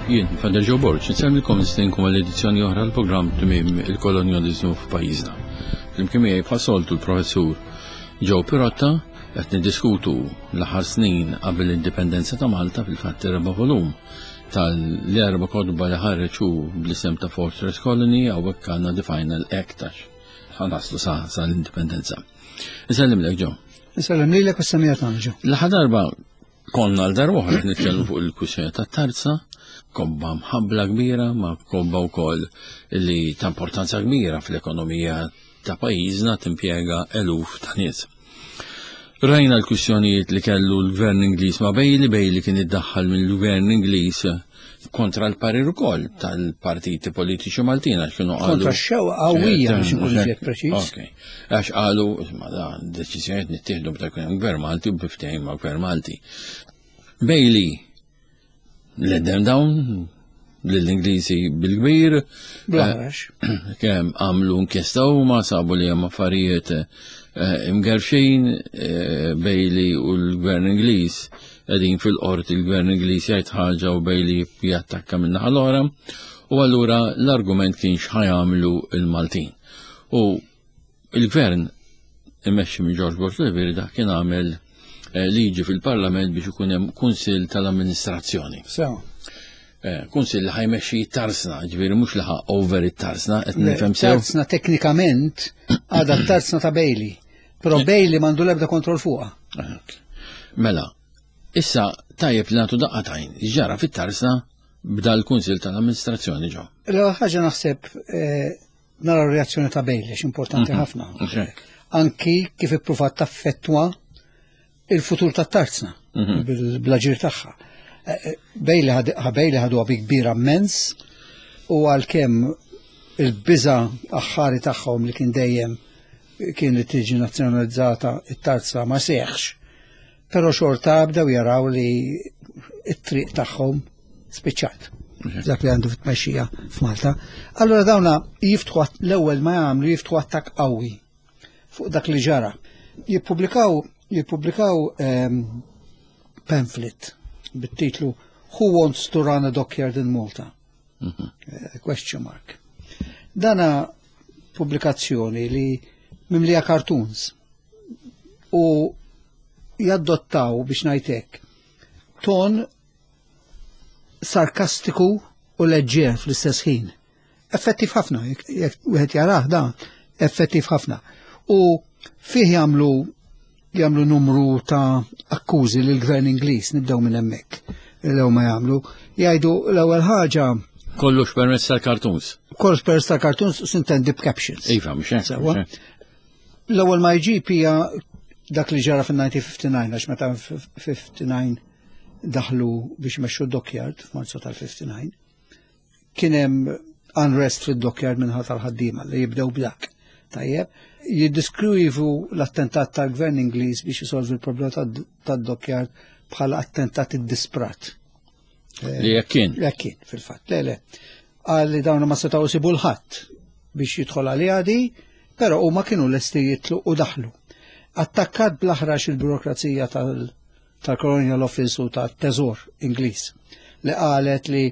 Jien, Father Joe Borg, nsellmilkom nistinkom għall-edizzjoni oħra l-programm Tmiem il-Kolonjaliżmu f'pajjiżna. Flimkien miegħi bħas-soltu l-Professur Joe Pirotta qed niddiskutu l-aħħar snin qabel l-indipendenza ta' Malta fil-fatt erba' volum tal-erba' kotba li ħareġ hu bl-isem ta' Fortress Colony hawnhekk għandna The Final Act għax ħanaslu sa l-indipendenza. Nsellimlek Joe. Nsellem lilek u s-semija tagħna Joe. L-aħħar darba Konna għal darba oħra nitkellmu fuq il-kwistjoni tat-tarza, kobba mħabbla kbira, ma kobba wkoll li ta' importanza kbira fl-ekonomija ta' pajjiżna timpjega eluf ta' nies. Rajna l-kwistjonijiet li kellu l-gvern Ingliż ma' Bailey, Bailey kien iddaħħal mill-gvern Ingliż kontra l-parir ukoll tal-partiti politiċi Maltin għax kienu qalu. Kontra x-xewqa qawwija biex inkun iżjed preċiż. Għax qalu, ma da, deċiżjonijiet nittieħdu meta jkun hemm gvern Malti u biftehim ma' gvern Malti. Bailey l-edem dawn lill-Ingliżi bil-kbir. Blaħrax. Eh, kemm għamlu inkjesta huma sabu li hemm affarijiet eh, imgerfxin eh, Bailey u l-gvern Ingliż qegħdin fil-qorti l-gvern Ingliż jgħid ħaġa u Bailey jattakka minn naħa l-oħra. U allura l-argument kien x'ħajamlu il-Maltin. U il-gvern imexxi minn George Bush Leveri dak kien għamel eh, liġi fil-parlament biex ikun hemm kunsill tal-amministrazzjoni. So. Eh, kunsill li ħajmexxi tarsna, ġifieri mhux li ħa over it-tarsna, qed nifhem sew. Tarsna teknikament għadha tarsna ta' Bailey, però eh. Bailey m'għandu l-ebda kontroll fuqha. Mela, issa tajjeb li nagħtu daqqa tajn, ġara fit-tarsna b'dal l-kunsill tal-amministrazzjoni ġo. L-ewwel ħaġa naħseb nara r-reazzjoni ta' Bailey, importanti mhm. ħafna. Anki kif ippruvat taffettwa il-futur ta' tarzna mhm. bil-blaġir tagħha. Eh, eh, Bailey ħadu bi kbira immens u għalkemm il-biża aħħari tagħhom li kien dejjem kien li tiġi nazzjonalizzata it-tarza ma seħx. Però xorta bdew jaraw li it-triq tagħhom spiċċat. Dak li għandu fit-tmexxija f'Malta. Allura dawna jiftħu l-ewwel ma jagħmlu jiftħu attakk qawwi fuq dak li ġara. Jippubblikaw jippubblikaw ehm, pamphlet bit-titlu Who Wants to Run a Dockyard in Malta? Mhm. Eh, question mark. Dana pubblikazzjoni li mimlija cartoons u jaddottaw biex ngħidlek ton sarkastiku u leġġer fl-istess ħin. Effettiv ħafna, jekk wieħed jarah dan, effettiv ħafna. U fih jagħmlu jagħmlu numru ta' akkużi lil gvern Ingliż, nibdew minn hemmhekk. L-ewwel ma jagħmlu, jgħidu l-ewwel ħaġa Kollox permezz tal-cartoons. Kollox permezz tal-cartoons sintendi b'captions. Iva, mhux hekk. L-ewwel ma jġib hija dak li ġara fin-1959 għax meta 59 daħlu biex mexxu d-dockyard f'Marzu tal-59 kien hemm unrest fid-dockyard minħat tal-ħaddiema li jibdew b'dak. Tajjeb, jiddiskrivu l-attentat tal-gvern Ingliż biex jisolvi l-problema tad-dockyard bħala attentat iddisprat. Li jekk kien. Li kien, fil-fatt. Le, le. Qal li dawn ma setgħu jsibu l-ħadd biex jidħol għaliha di, però huma kienu lesti jitlu u daħlu. Attakkat bl-aħrax il-burokrazija tal-Colonial Office u tat-Teżor Ingliż li qalet li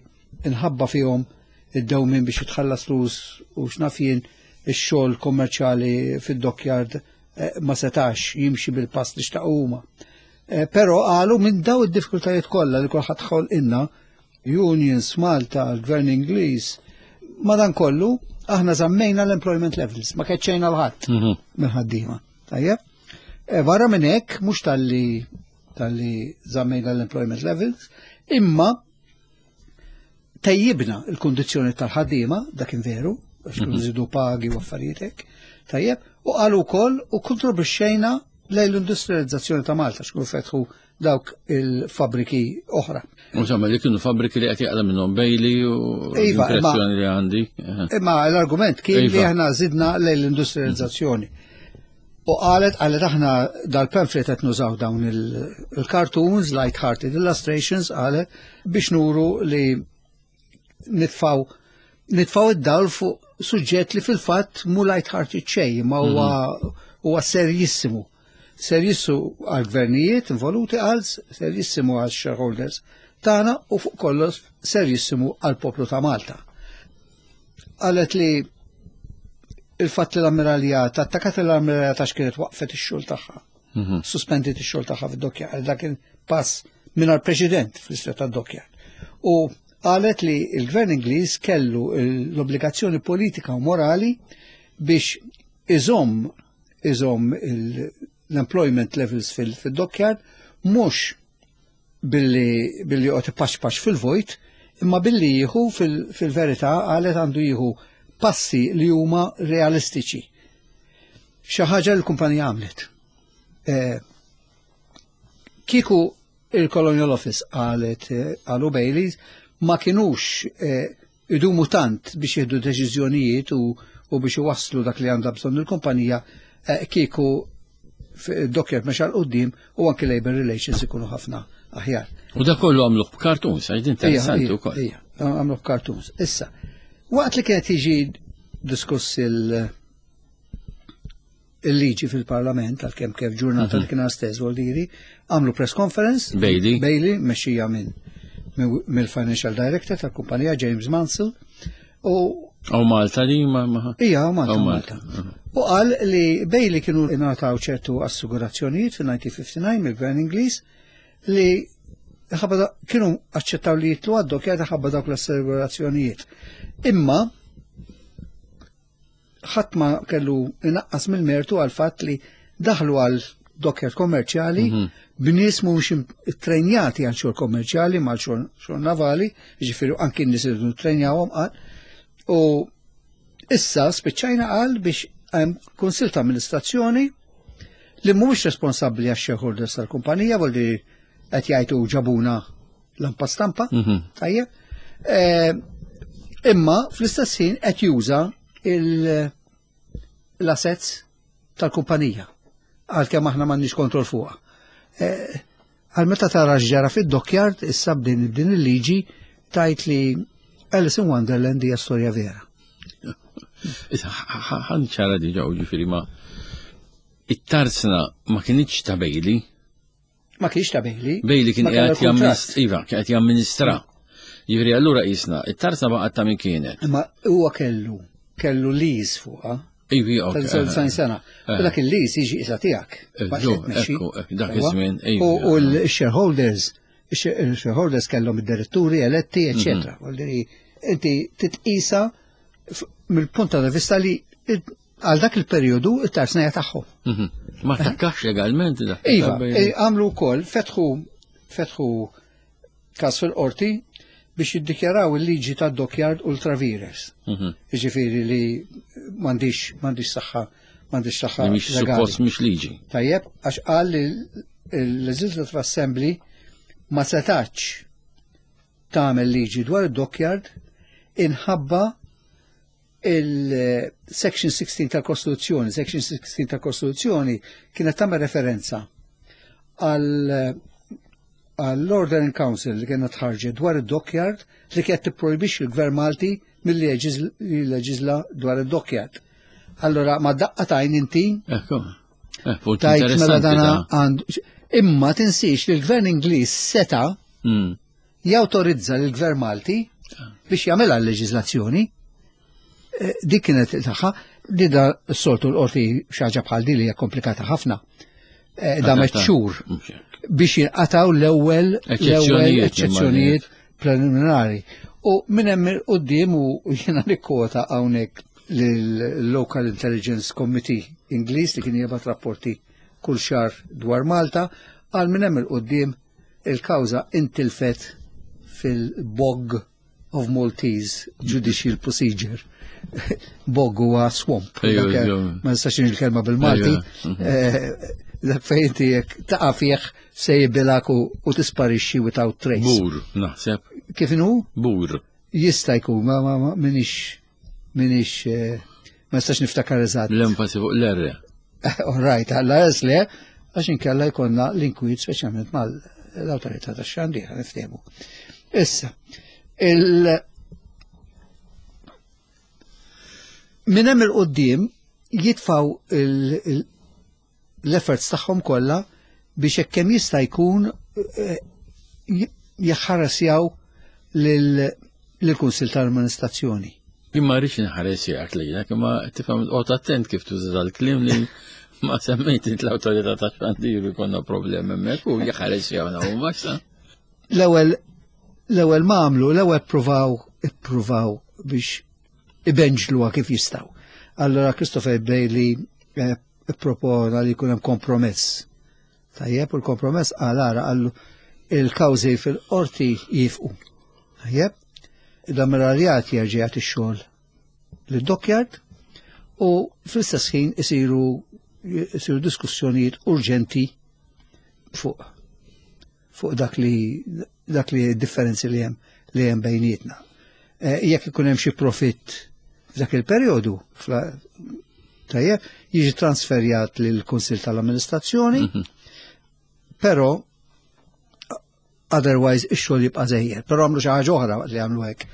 inħabba fihom id-dewmien biex jitħallas flus u x'naf jien ix-xogħol kommerċjali fid-dockyard eh, ma setax jimxi bil-pass li xtaqu huma. Eh, però qalu minn daw id-diffikultajiet kollha li kulħadd ħolqilna, unions Malta, l-Gvern Ingliż, madankollu aħna żammejna l-employment levels, ma keċċejna l-ħadd mhm. mill-ħaddiema. Tajjeb? Eh, barra minn hekk mhux talli talli żammejna l-employment levels, imma tejjibna il-kundizzjoni tal-ħaddiema, dak veru, għax kienu mhm. żidu pagi u affarijiet hekk, tajjeb, u qalu wkoll u kontribwixxejna lejn l-industrializzazzjoni ta' Malta, x'kienu fetħu dawk il-fabriki oħra. Insomma, li kienu fabriki li qed jaqla minnhom Bailey u iva, l-impressjoni li għandi. Imma l-argument kien li iva. aħna żidna lejn l-industrializzazzjoni. U qalet, qalet aħna dal-pamphlet qed nużaw dawn il-cartoons, light-hearted illustrations, qalet biex nuru li nitfaw nitfaw id-dawl fuq suġġett li fil-fatt mu light-hearted xejn, ma huwa mhm. huwa serjissimu. Serjissimu għal-gvernijiet involuti għal serjissimu għal shareholders. tagħna u fuq kollox serjissimu għall-poplu ta' Malta. Qalet li il-fatt li l-ammiraljat, attakat l-ammiraljat għax kienet waqfet ix-xogħol tagħha. Mhm. Suspendiet ix-xogħol tagħha fid-dokkja, għal dak il-pass mingħajr preċedent fl-istorja tad-dokkja. U qalet li l-gvern Ingliż kellu l-obbligazzjoni politika u morali biex iżomm iżomm l-employment levels fil-dockyard mhux billi billi joqgħod ipaxpax fil-vojt, imma billi jieħu fil-verità qalet għandu jieħu passi li huma realistiċi. Xi ħaġa li l-kumpanija għamlet. Eh, kieku il-Colonial Office qalet eh, qalu Baileys ma kinux eh, idumu tant biex jieħdu deċiżjonijiet u, u biex iwasslu dak li għandha bżonn il-kumpanija eh, kieku dokkjat mexa l-qoddim u anki labor relations ikunu ħafna aħjar. U da kollu għamluh b'kartuns, għax interessanti wkoll. Ija, għamluh b'kartuns. Issa, waqt li kienet jiġi diskuss il- il-liġi fil-parlament, għal-kem kif ġurnata li mhm. kien stess Voldiri, għamlu press conference. Bailey. Bailey, mexxija minn mill-financial director tal-kumpanija James Mansell. U Għaw Malta li ma. Ija, għaw Malta. Malta. Mhm. U qal li Bailey kienu ingħataw ċertu assigurazzjonijiet fil-1959 mill-Gvern Ingliż li ħabba kienu aċċettaw li jitlu għad-dokja ħabba dawk l-assigurazzjonijiet. Imma ħadd ma kellu inaqqas mill-mertu għal fatt li daħlu għal docker kommerċjali mhm. b'nies mhumiex ittrejnjati għal xogħol kommerċjali mal xogħol navali, jiġifieri anki n-nies irridu ntrejnjawhom qal. U issa spiċċajna qal biex hemm kunsil ta' amministrazzjoni li mhumiex responsabbli għax shareholders tal-kumpanija, voldi qed jgħidu ġabuna lampa stampa, mhm. tajjeb. Eh, imma fl-istess ħin qed juża l-assets tal-kumpanija għalkemm aħna m'għandniex kontroll fuqha. Eh, għal meta tara x'ġara fid-dockyard issa b'din din il-liġi tajt li Alice in Wonderland hija storja vera. Ħan ċara diġa u ġifieri ma it-tarzna ma kienx ta' Bailey. Ma kienx ta' Bailey. Bailey kien qiegħed jamministra, iva, kien qed jamministra. Jiġifieri allura qisna, it-tarza baqgħet ta' min kienet. Imma huwa kellu, kellu lease fuqha. Ivi, ok. Ta' sena. U dak il-lease jiġi isa tiegħek. Dak iż-żmien. U l-shareholders, il-shareholders kellhom id-diretturi eletti, eċetera. Mhm. Inti titqisa mill-punt ta' vista li Għal dak il-perjodu it-tarsnija tagħhom. Mhm. Ma takkax legalment dak. Iva, eh, għamlu wkoll fetħu fetħu każ fil-qorti biex jiddikjaraw il-liġi ta' dockyard ultravires. Mhm. Jiġifieri li m'għandix m'għandix saħħa m'għandix saħħa. Mhix suppost mhix liġi. Tajjeb, għax qal li l-Legislative Assembly ma setax tagħmel liġi dwar id-dockyard inħabba il-Section 16 tal-Kostituzzjoni, Section 16 tal-Kostituzzjoni kienet tagħmel referenza għall-Order in Council li kienet ħarġet dwar id-dockyard li kienet tipprojbixxi l-Gvern Malti milli jleġiżla dwar id-dockyard. Allora ma daqqa tajn inti. Ekku. Eh, tajt mela dana għandu. Imma tinsiex li l-Gvern Ingliż seta' mm. jawtorizza lill-Gvern Malti biex jagħmilha l-leġiżlazzjoni. Eh, dik kienet tagħha, di da s-soltu l-qorti xaġa bħal di li hija komplikata ħafna. Eh, da xhur biex jinqataw l-ewwel l-ewwel eċċezzjonijiet preliminari. U minn hemm quddiem u jiena nikkota hawnhekk lill-Local Intelligence Committee Ingliż li kien jibgħat rapporti kull xahar dwar Malta, għal minn hemm il-qudiem Il-kawża intilfet fil-bog of Maltese Judicial Procedure. Bog huwa swamp. Ma nistax il-kelma bil-Malti. Mhm. Eh, dak fejn inti jekk taqa' fih se jibilak u tisparixxi without trace. Bur, naħseb. Kif inhu? Bur. Jista' jkun, ma ma minix minix eh, ma nistax niftakar eżatt. L-enfasi fuq l-R. All right, għalla es le, għax inkella jkollna l-inkwiet speċjalment mal-awtorità tax-xandir, niftehmu. Issa, il minn hemm il-qoddim jitfaw l-efforts tagħhom kollha biex hekk kemm jista' jkun eh, jaħħarasjaw lill-Kunsill tal-Amministrazzjoni. Jien ma rridx inħaresjak lilek, imma tifhem qgħod attent kif tuża dal-kliem li ma semmejt int l-awtorità ta' xandir konna problemi hemmhekk u jaħaresjawna huma sa. L-ewwel l-ewwel ma għamlu, l-ewwel ippruvaw ippruvaw biex ibenġluha kif jistgħu. Allora Christopher Bailey eh, ippropona li jkun hemm kompromess. Tajjeb, u l-kompromess qal ara qallu il-kawżi fil-qorti jifqu. Tajjeb, l-ammiraljat jerġa' jagħti x-xogħol lid-dockyard u fl-istess ħin isiru isiru diskussjonijiet urġenti fuq fuq dak li dak li differenzi li hemm li hemm bejnietna. Eh, jekk ikun hemm xi profitt f'dak il-perjodu, tajjeb, jiġi transferjat lil kunsill tal-Amministrazzjoni, mhm. però otherwise ix-xogħol jibqa' żejjer. Però għamlu xi ħaġa oħra waqt li għamlu hekk.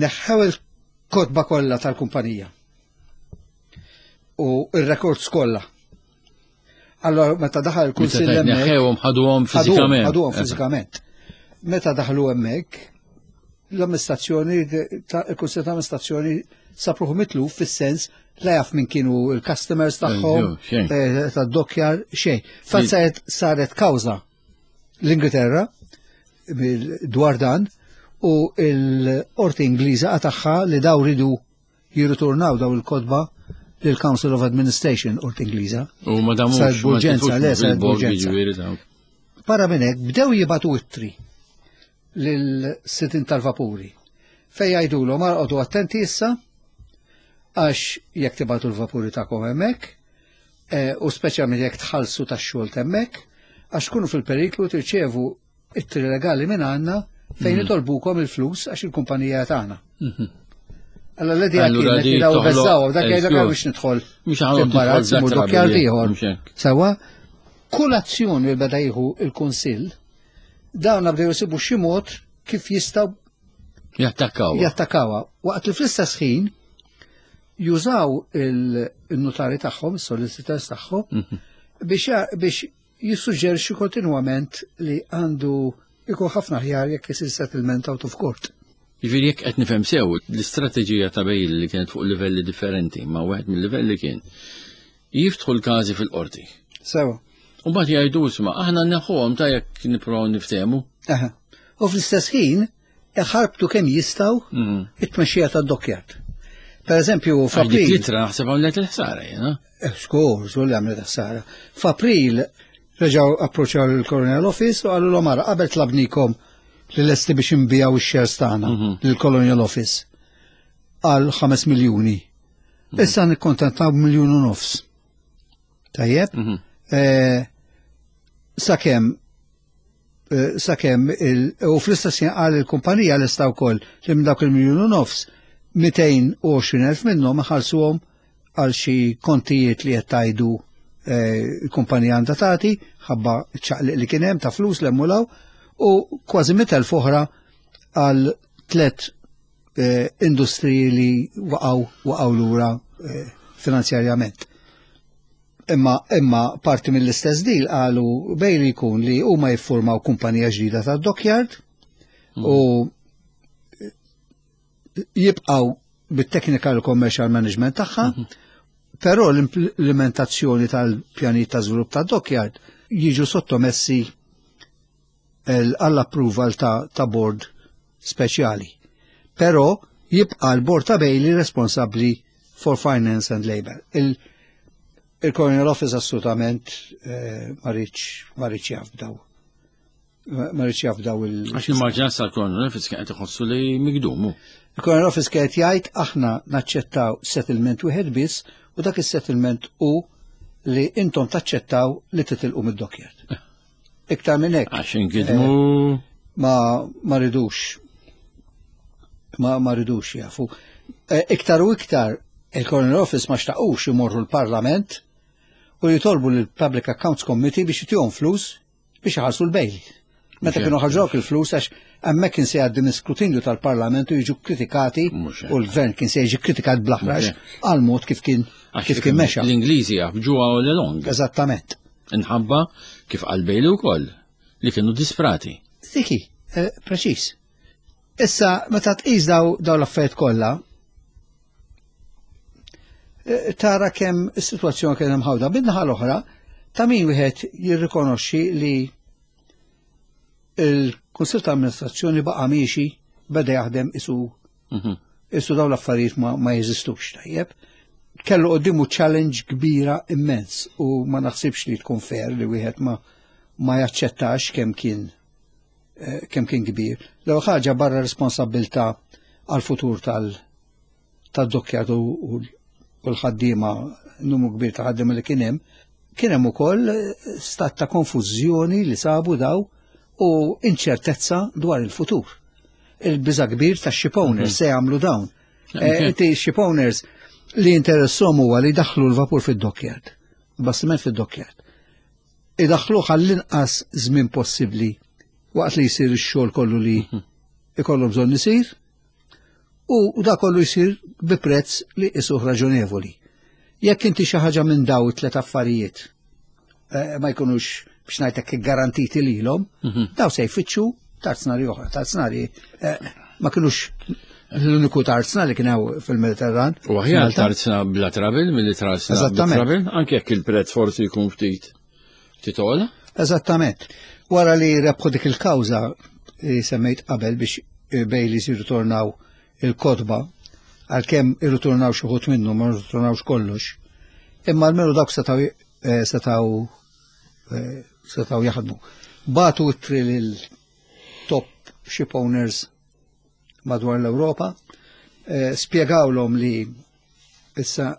Neħħew il-kotba kollha tal-kumpanija u ir-rekords kollha. Allora meta daħal il-kunsill hemmhekk. Neħħewhom ħaduhom fiżikament. Ħaduhom fiżikament. Meta daħlu hemmhekk, l-amministrazzjoni, il-kunsill ta' amministrazzjoni sapruħu mitluf fis-sens la jaf minn kienu il-customers tagħhom, eh, tad-dokjar, xejn. Fatt saret saret kawża l-Ingilterra dwar dan u l-qorti Ingliża qatagħha li daw ridu jirritornaw daw il-kotba lill-Council of Administration qorti Ingliża. U ma damux. Saret b'urġenza, le saret b'urġenza. Para minn hekk bdew jibatu ittri lil-sidien tal-vapuri fejn jgħidulhom arqodu attenti issa għax jekk tibatu l-vapuri tagħkom hemmhekk eh, u speċjalment jekk tħallsu tax-xogħol hemmhekk għax tkunu fil-periklu tirċevu ittri legali minn għandna fejn mhm. itolbukom il-flus għax il-kumpanija tagħna. Mhm. Allora l-idea kienet li daw beżaw, dak jgħidlek biex nidħol. Mhux ħanimbarazz, imur dokkjar ieħor. Sewa, kull azzjoni li beda jieħu il-Kunsill, dawn bdew jsibu xi mod kif jistgħu jattakkaw. Jattakawha. Waqt li fl-istess ħin jużaw il-notari tagħhom, is-solicitors tagħhom, mhm. biex jissuġġerixxi kontinwament li għandu jkun ħafna aħjar jekk isir settlement out of court. Jiġifieri jekk qed nifhem sew, l-istrateġija ta' Bailey li kienet fuq livelli differenti, ma wieħed mill-livelli kien jiftħu l-każi fil-qorti. Sewa. U mbagħad jgħidu isma' aħna neħħuhom ta' jekk nippruvaw niftehmu. Aha. U fl-istess ħin iħarbtu kemm jistgħu mhm. it-tmexxija tad-dockyard. Per eżempju, f'April. Dik litra naħseb għamlet il-ħsara jiena. Eh, skur, żgur li għamlet ħsara. F'April reġgħu approċċjaw il-Colonial Office u qalu l ara qabel tlabnikom li lesti biex inbijaw ix-shares tagħna mhm. lill-Colonial Office għal 5 miljuni. Mhm. Issa nikkontentaw b'miljun u nofs. Tajjeb? Eh, sakemm Eh, sakemm u fl-istess ħin qal il-kumpanija lesta wkoll li minn dawk il-miljun u nofs 220,000 minnhom iħallsuhom għal xi kontijiet li qed tgħidu eh, l-kumpanija għandha tagħti ħabba ċaqliq li kien hemm ta' flus l emmulaw u kważi 100,000 oħra għal tlet eh, industriji li waqgħu waqgħu lura finanzjarjament. Imma imma parti mill-istess deal qalu Bailey jkun li huma jiffurmaw kumpanija ġdida ta' dockyard mm. u jibqaw bit-technical commercial management tagħha, mhm. però l-implementazzjoni tal-pjanijiet ta' żvilupp ta' dockyard jiġu sottomessi għall-approval ta', ta board speċjali. Però jibqa' l-board ta' Bailey responsabbli for finance and labor. Il-Colonial Office assolutament eh, ma rridx jaf b'daw. Ma rridx jaf b'daw il- Għax immaġina sa l-Colonial Office kien qed iħossu li migdumu. Il-Colonial Office kien qed jgħid aħna naċċettaw settlement wieħed biss u dak is-settlement hu li intom taċċettaw li titilqu mid-dockyard. Iktar minn hekk. Għax inkidmu. Eh, ma ma ridux. Ma ma ridux jafu. Eh, iktar u iktar il-Coroner Office ma xtaqux imorru l-Parlament u jitolbu l-Public Accounts Committee biex jtihom flus biex iħallsu l-bejl. Meta kienu ħarġok il-flus għax hemmhekk kien se jgħaddi minn skrutinju tal-Parlament u jiġu kritikati u l-gvern kien se jiġi kritikat bl-aħrax għal mod kif kien kif kien mexa. L-Ingliżi jafġuha all along. Eżattament. Inħabba kif qal Bailey wkoll li kienu disprati. Diki. Eh, preċiż. Issa, meta tqis daw daw l-affarijiet kollha, eh, tara kemm is-sitwazzjoni kien hemm ħawda. Bin-naħa l-oħra, ta' min wieħed jirrikonoxxi li il-Kunsill ta' Amministrazzjoni baqa' miexi beda jaħdem isu mhm. isu daw l-affarijiet ma, ma jeżistux tajjeb. Kellu qoddimu challenge kbira immens u ma naħsibx li tkun fair li wieħed ma ma jaċċettax kemm kien eh, kemm kien kbir. L-ewwel ħaġa barra responsabbiltà għal-futur tal tad-dokkjat u l-ħaddiema numru kbir ta' ħaddiema li kien hemm, kien hemm ukoll eh, stat ta' konfużjoni li sabu daw u inċertezza dwar il-futur. Il-biża kbir ta' ship owners mhm. se jagħmlu dawn. Eh, inti ship owners li interessom huwa li daħlu l-vapur fid-dockyard, bastiment fid-dockyard. Idaħħluh għall-inqas żmien possibbli waqt li jsir ix-xogħol kollu li mhm. ikollu bżonn isir u da kollu jsir bi prezz li isuh raġonevoli. Jekk inti xi ħaġa minn daw it-tlet affarijiet eh, ma jkunux biex ngħidlek garantiti lilhom, mhm. daw se jfittxu tarznari oħra, tarznari eh, ma kinux l-uniku tarzna li kien hawn fil-Mediterran. U aħjar tarzna bla travel milli tarzna bla travel, anke jekk il-prezz forsi jkun ftit titola. Eżattament. Wara li rebħu dik il-kawża li semmejt qabel biex eh, Baileys jirritornaw il-kotba, għalkemm irritornaw xi ħut minnu ma rritornawx kollox, imma almenu dawk setgħu eh, setgħu eh, setgħu jaħdmu. Batu ittri lil top ship owners madwar l-Ewropa, spjegawlhom li issa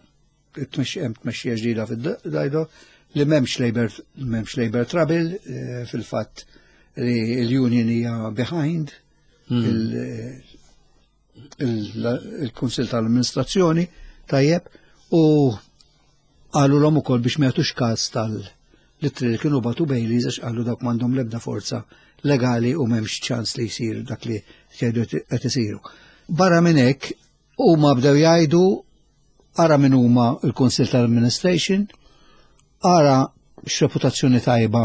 hemm tmexxija ġdida fid-dajdo li m'hemmx labor m'hemmx labor trouble eh, fil-fatt li l-union hija behind hmm. il-Kunsil tal-Amministrazzjoni tajjeb u qalu l ukoll biex ma jagħtux każ tal-littri li kienu batu Baileys għax qalu dawk m'għandhom l-ebda forza legali u m'hemmx ċans li jsir dak li jgħidu qed isiru. Barra minn hekk huma bdew jgħidu ara min huma l-Kunsill tal-Administration, ara x'reputazzjoni tajba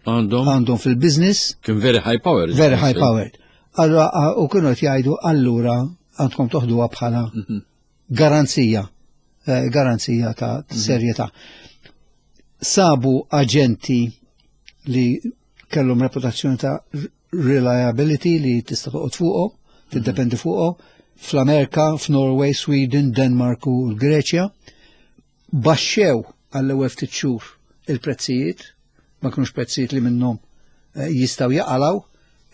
għandhom għandhom fil-business. Kien very high powered. Very high powered. Allora, u kienu qed jgħidu allura għandkom toħduha bħala mhm. garanzija, eh, garanzija ta' mhm. serjetà. Sabu aġenti li kellhom reputazzjoni ta' reliability li tista' toqgħod fuqhom, tiddependi fuqhom, fl-Amerika, f'Norway, Sweden, Denmark u l-Greċja. Baxxew għall-ewwel ftit xhur il-prezzijiet, ma kinux prezzijiet li minnhom eh, jistgħu jaqalgħu,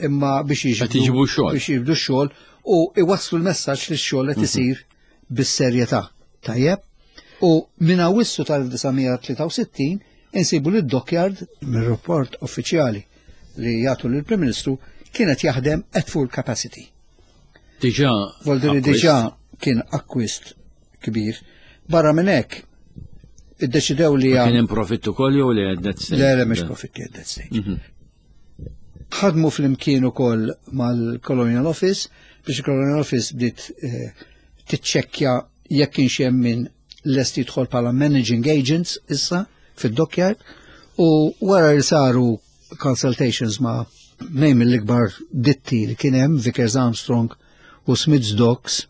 imma biex jiġbdu xogħol. Biex jiġbdu xogħol u iwasslu l-messaġġ li x-xogħol qed mhm. isir bis-serjetà. Tajjeb? U minn Awwissu tal-1963 insibu li d-dockyard mir-rapport uffiċjali li jagħtu lill-Prim Ministru kienet jaħdem at full capacity. Diġà. Voldiri diġà kien akkwist kbir. Barra minn hekk, iddeċidew li Kien hemm profitt ukoll jew li at that stage? Le, le mhux profitti at that stage. Mhm. Ħadmu flimkien ukoll mal-Colonial Office biex il-Colonial Office bdiet eh, tiċċekkja jekk kienx hemm min lest jidħol bħala managing agents issa fid-dockyard u wara li saru consultations ma' nejn mill-ikbar ditti li kien hemm Vickers Armstrong u Smiths Docks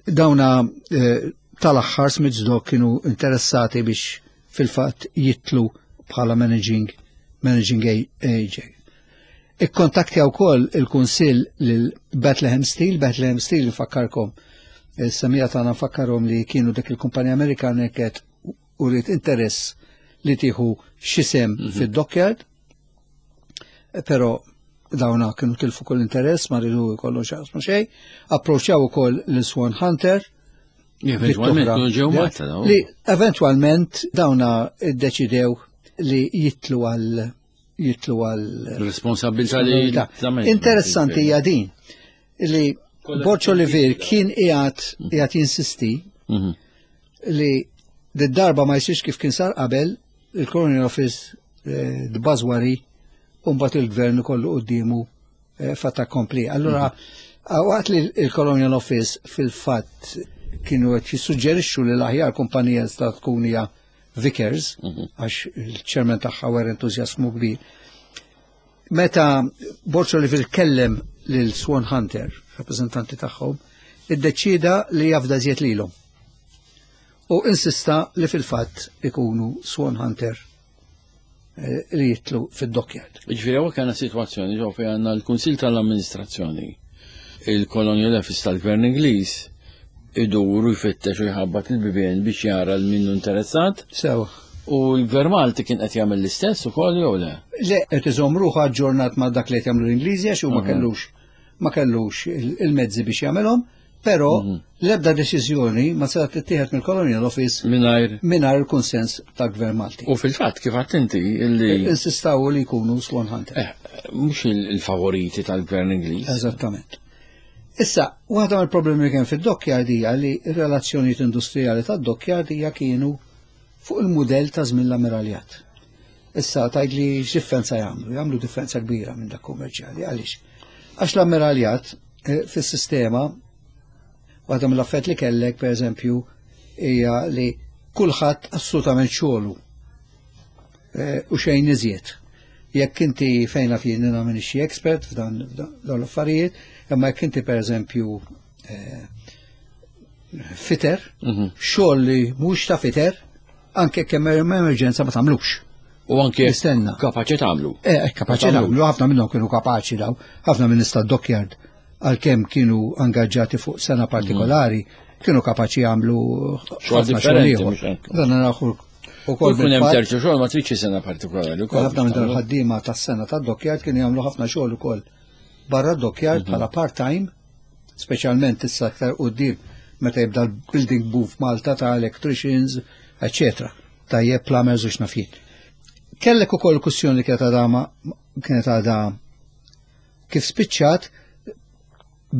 dawna eh, tal-aħħar Smiths Dock kienu interessati biex fil-fatt jitlu bħala managing managing agent. Ikkontaktja wkoll il-Kunsill lil Bethlehem Steel, Bethlehem Steel nfakkarkom, is-semija tagħna nfakkarhom li kienu dik il-kumpanija Amerikana li kienet uriet interess li tieħu xi sem mhm. fid-dockyard, però dawna kienu tilfu kull interess, ma ridu jkollu xaqsmu xejn, approċċjaw ukoll lil Swan Hunter, Li eventualment dawna iddeċidew li jitlu għal jitlu għal responsabilità li Interessanti hija din li Borċ Olivier kien qiegħed qiegħed jinsisti mhm. li d-darba ma jsirx kif kien sar qabel il-Colonial Office eh, d-bażwari u mbagħad il-gvern ikollu quddiemu eh, fatt accompli. Allura mhm. waqt li il-Colonial Office fil-fatt kienu qed jissuġġerixxu li l-aħjar kumpanija sta tkun hija Vickers, mhm. għax il-ċermen tagħha wera entużjasmu kbir. Meta Borg Olivier kellem lil Swan Hunter, rappreżentanti tagħhom, iddeċieda li jafda żjed lilhom. U insista li fil-fatt ikunu Swan Hunter eh, li jitlu fid-dockyard. Ġifieri hawnhekk għandna sitwazzjoni ġew fejn għandna l-Kunsill tal-Amministrazzjoni, il-Colonial Office tal-Gvern Ingliż idur u jfittex u jħabbat il-bibien biex jara l minnu interessat. Sew. U l-Gvern Malti kien qed jagħmel l-istess ukoll jew le? Le, qed iżomm ruħu aġġornat ma' dak li qed jagħmlu l-Ingliżi għax hu ma kellux ma kellux il-mezzi biex jagħmelhom, però mhm. l-ebda deċiżjoni ma setgħet tittieħed mill-Colonial Office mingħajr mingħajr il-kunsens tal-Gvern Malti. U fil-fatt kif għadt inti illi insistaw li jkunu Swan Hunter. Eh, mhux il-favoriti tal-Gvern Ingliż. Eżattament. Issa, waħda mill-problemi li kien fid-dockyard hija li r-relazzjonijiet industrijali tad-dockyard hija kienu fuq il-mudell ta' żmien l-ammiraljat. Issa tgħid li x'differenza jagħmlu? Jagħmlu differenza kbira minn dak kummerċjali. Għaliex? Għax l-ammiraljat eh, fis-sistema waħda mill-affett li kellek pereżempju hija li kulħadd assolutament xogħlu eh, u xejn iżjed. Jekk inti fejn naf jien jiena m'iniex xi expert f'dan dawn l-affarijiet, imma jekk inti pereżempju eh, fitter, mhm. xogħol li mhux ta' fitter, anke kemm hemm emerġenza ma tagħmlux. U anke jistenna. Kapaċi tagħmlu. Eh, eh kapaċi tagħmlu, ħafna minnhom kienu kapaċi daw, ħafna minn nista' dockyard għalkemm kienu angaġġati fuq sena partikolari, mhm. kienu kapaċi jagħmlu xogħol differenti. Dan naraw Ukoll kun hemm terzu xogħol ma tridx sena partikolari. Ħafna minn dawn ħaddiema tas-sena tad-dockyard kienu jagħmlu ħafna xogħol ukoll barra d-dockyard mhm. bħala part-time, speċjalment issa aktar quddiem meta jibda l-building boom f'Malta ta' electricians, eccetera. Tajjeb plumbers u x'nafjiet. Kellek ukoll kwistjoni li kienet għadha kienet għadha kif spiċċat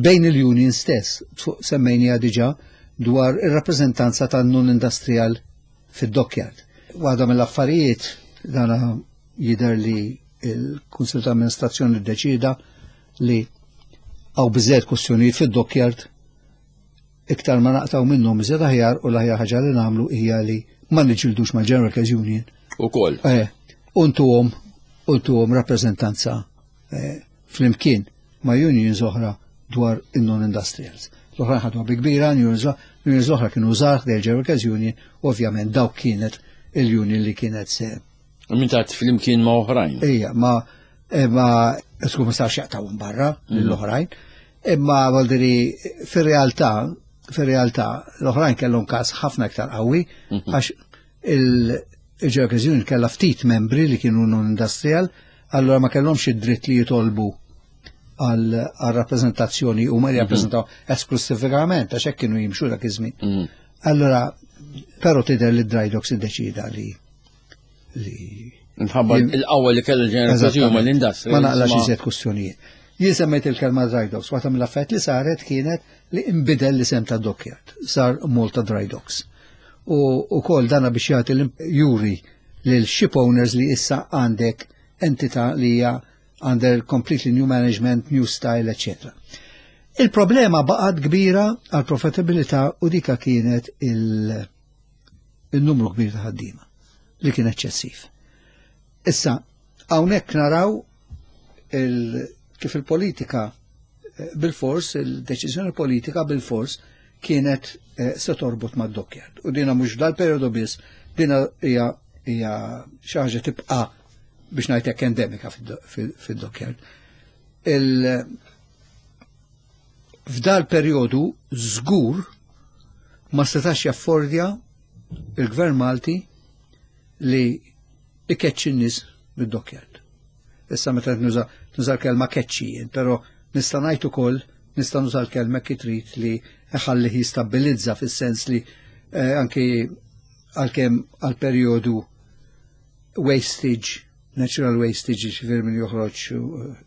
bejn il-union stess, semmejnija diġà dwar ir-rappreżentanza tan-non-industrial fid-dockyard. Waħda mill-affarijiet dana jidher li il-Kunsil ta' Amministrazzjoni ddeċida li għaw biżejjed kwestjonijiet fid-dockyard iktar ma naqtaw minnhom iżjed aħjar u l-aħjar ħaġa li nagħmlu hija li ma niġildux mal-General Workers Union. Ukoll. Eh, untuhom untuhom rappreżentanza eh, flimkien ma' unions oħra dwar in-non-industrials. L-oħrajn ħadwa bi kbira, unions oħra kienu żgħar ħdejn General Workers Union, u ovvjament dawk kienet il-union li kienet se. Min ta' flimkien ma' oħrajn. Ija, ma eh, ma sku ma sarx jaqtawhom barra mm. l-oħrajn. Imma voldiri fir-realtà, fir-realtà l-oħrajn kellhom każ ħafna iktar qawwi mhm. għax il-General Workers Union kellha ftit membri li kienu non-industrial, allora ma kellhomx id-dritt li jitolbu għal rappreżentazzjoni u ma jirrappreżentaw mhm. esklusivament għax hekk kienu jimxu dak iż-żmien. Mhm. Allora, però tidher li dry docks iddeċida li li Nħabba il-qawwa li kellu l-ġenerazzjoni ma l-industri. Ma naqlax iżjed kwistjonijiet. Jien semmejt il-kelma dry docks, waħda mill-affarijiet li saret kienet li inbidel l-isem ta' dockyard, sar Malta Dry Docks. U wkoll dana biex jagħti juri lil ship owners li issa għandek entità li hija under completely new management, new style, etc. Il-problema baqgħet kbira għal profitabilità u dika kienet il-numru kbir ta' ħaddiema li kien eċċessiv. Issa, hawnhekk naraw il, kif il-politika eh, bil-fors, il-deċiżjoni politika bil-fors kienet eh, se torbot mad dockyard. U dina mhux dal-perjodu biss, dina hija hija xi ħaġa tibqa' biex ngħid hekk endemika fid-dockyard. F'dal perjodu żgur ma setax jaffordja il-Gvern Malti li ikeċċi n-nies mid-dockyard. Issa meta nuża nuża l-kelma keċċi, però nista' ngħid ukoll nista' nuża l-kelma kif trid li ħallih jistabbilizza fis-sens li eh, anki għalkemm għal perjodu wastage, natural wastage, ġifieri min joħroġ eh,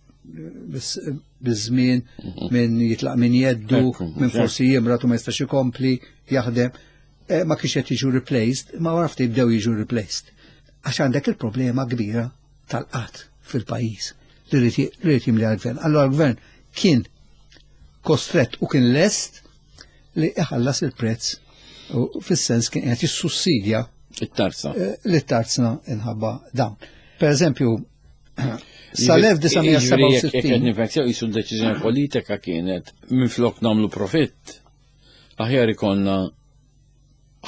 biż-żmien, mhm. min jitlaq min jeddu, min forsi jimrat u ma jistax ikompli jaħdem, eh, ma kienx qed jiġu replaced, ma wara ftit bdew jiġu replaced. Għax għandek il-problema kbira tal-qatt fil-pajjiż li rrid jimli għal-gvern. Allora l-gvern kien kostret u kien lest li iħallas il-prezz u fis-sens kien qed jissussidja it-tarzna. Eh, li t-tarzna inħabba dawn. Per eżempju, Sal-1967. Jekk qed nifhem sew qisu d-deċiżjoni politika kienet minflok nagħmlu profitt, aħjar ikollna